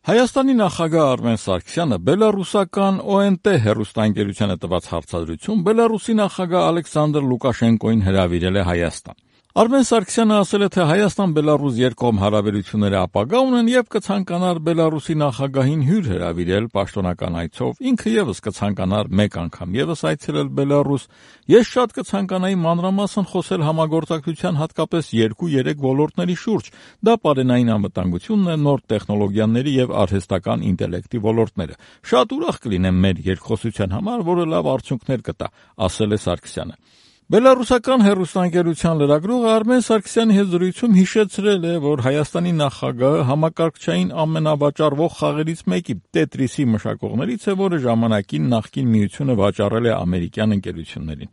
Հայաստանի նախագահ Արմեն Սարգսյանը բելառուսական ONT հեռուստաընկերությանը տված հարցազրույցում Բելառուսի նախագահ Ալեքսանդր Լուկաշենկոին հրավիրել է Հայաստան։ Արմեն Սարգսյանը ասել է, թե Հայաստան-Բելառուս երկկողմ հարաբերությունները ապագա ունեն եւ կցանկանար Բելառուսի նախագահին հյուր հրավիրել պաշտոնական այցով, ինքը եւս կցանկանար մեկ անգամ եւս այցելել Բելառուս։ Ես շատ կցանկանայի մանրամասն խոսել համագործակցության հատկապես 2-3 ոլորտների շուրջ։ Դա պարենային անվտանգությունն է, նոր տեխնոլոգիաների եւ արհեստական ինտելեկտի ոլորտները։ Շատ ուրախ կլինեմ մեր երկխոսության համար, որը լավ արդյունքներ կտա, ասել է Սարգսյանը։ Բելառուսական հեռուստաընկերության լրագրողը Արմեն Սարգսյանի հետ զրույցում հիշեցրել է, որ Հայաստանի նախագահը համակարգչային ամենավաճառվող խաղերից մեկի Տետրիսի մշակողներից է, որը ժամանակին նախկին միությունը վաճառել է ամերիկյան ընկերություններին։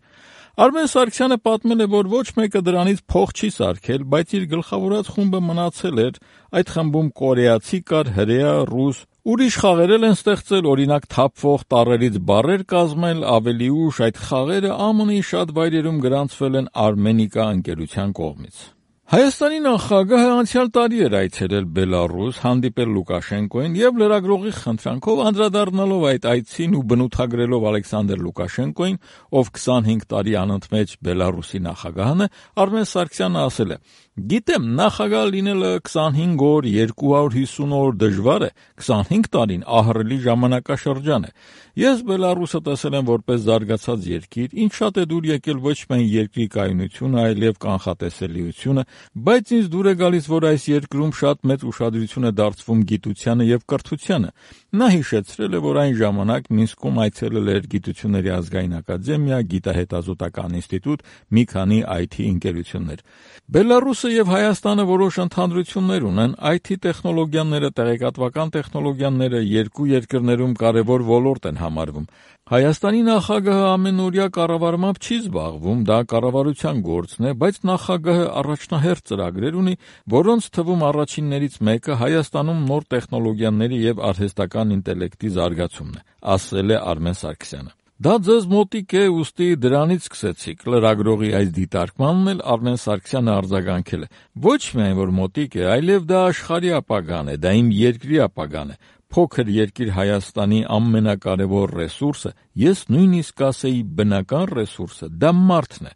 Արմեն Սարգսյանը պատմել է, որ ոչ մեկը դրանից փող չի սարքել, բայց իր գլխավորած խումբը մնացել էր, այդ խմբում կորեացի կար, հրեա, ռուս, ուրիշ խաղեր են ստեղծել, օրինակ թափվող տառերից բառեր կազմել, ավելի ուշ այդ խաղերը ԱՄՆ-ի շատ վայրերում գրանցվել են Արմենիկա ընկերության կողմից։ Հայաստանի նախագահը անցյալ տարի էր այցելել Բելառուս, հանդիպել Լուկաշենկոին եւ լրագրողի խնդրանքով անդրադառնալով այդ այցին ու բնութագրելով Ալեքսանդր Լուկաշենկոին, ով 25 տարի անընդմեջ Բելառուսի նախագահն է, Արմեն Սարգսյանը ասել է. «Գիտեմ, նախագահ լինելը 25 օր, 250 օր դժվար է, 25 տարին ահռելի ժամանակաշրջան է։ Ես Բելառուսը տեսել եմ որպես զարգացած երկիր, ինձ շատ է դուր եկել ոչ միայն երկրի կայունությունը, այլև կանխատեսելիությունը, բայց ինձ դուր է գալիս, որ այս երկրում շատ մեծ ուշադրություն է դարձվում գիտությանը եւ կրթությանը»։ Նա հիշեցրել է, որ այն ժամանակ Մինսկում այցելել էր Գիտությունների ազգային ակադեմիա, Գիտահետազոտական ինստիտուտ, մի քանի IT ընկերություններ։ Բելառուսը եւ Հայաստանը որոշ ընդհանրություններ ունեն, IT տեխնոլոգիաները, տեղեկատվական տեխնոլոգիաները երկու երկրներում կարևոր ոլորտ են համարվում։ Հայաստանի նախագահը ամենօրյա կառավարմամբ չի զբաղվում, դա կառավարության գործն է, բայց նախագահը առաջնահերթ ծրագրեր ունի, որոնց թվում առաջիններից մեկը Հայաստանում նոր տեխնոլոգիաների եւ արհեստական ինտելեկտի զարգացումն է, ասել է Արմեն Սարգսյանը։ Դա ձեզ մոտիկ է, ուստի դրանից սկսեցիք։ Լրագրողի այս դիտարկմանն էլ Արմեն Սարգսյանը արձագանքել է. «Ոչ միայն որ մոտիկ է, այլև դա աշխարհի ապագան է, դա իմ երկրի ապագան է։ Փոքր երկիր Հայաստանի ամենակարևոր ռեսուրսը, ես նույնիսկ կասեի բնական ռեսուրսը, դա մարդն է։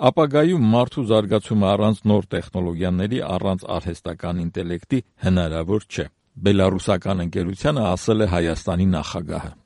Ապագայում մարդու զարգացումը առանց նոր տեխնոլոգիաների, առանց արհեստական ինտելեկտի հնարավոր չէ», բելառուսական ընկերությանը ասել է Հայաստանի նախագահը։